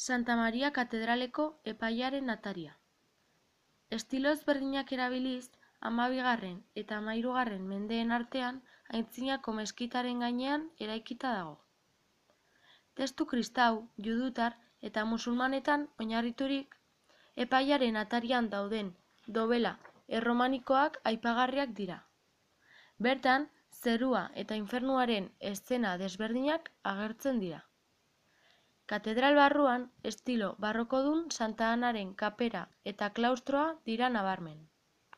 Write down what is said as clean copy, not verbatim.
Santa Maria katedraleko epaiaren ataria. Estilo ezberdinak erabiliz, 12. eta 13. mendeen artean Aintzinako meskitaren gainean eraikita dago. Testu kristau, judutar eta musulmanetan oinarriturik, epaiaren atarian dauden dobela erromanikoak aipagarriak dira. Bertan, zerua eta infernuaren eszena desberdinak agertzen dira. Katedral barruan, estilo barrokodun Santa Anaren kapera eta klaustroa dira nabarmen.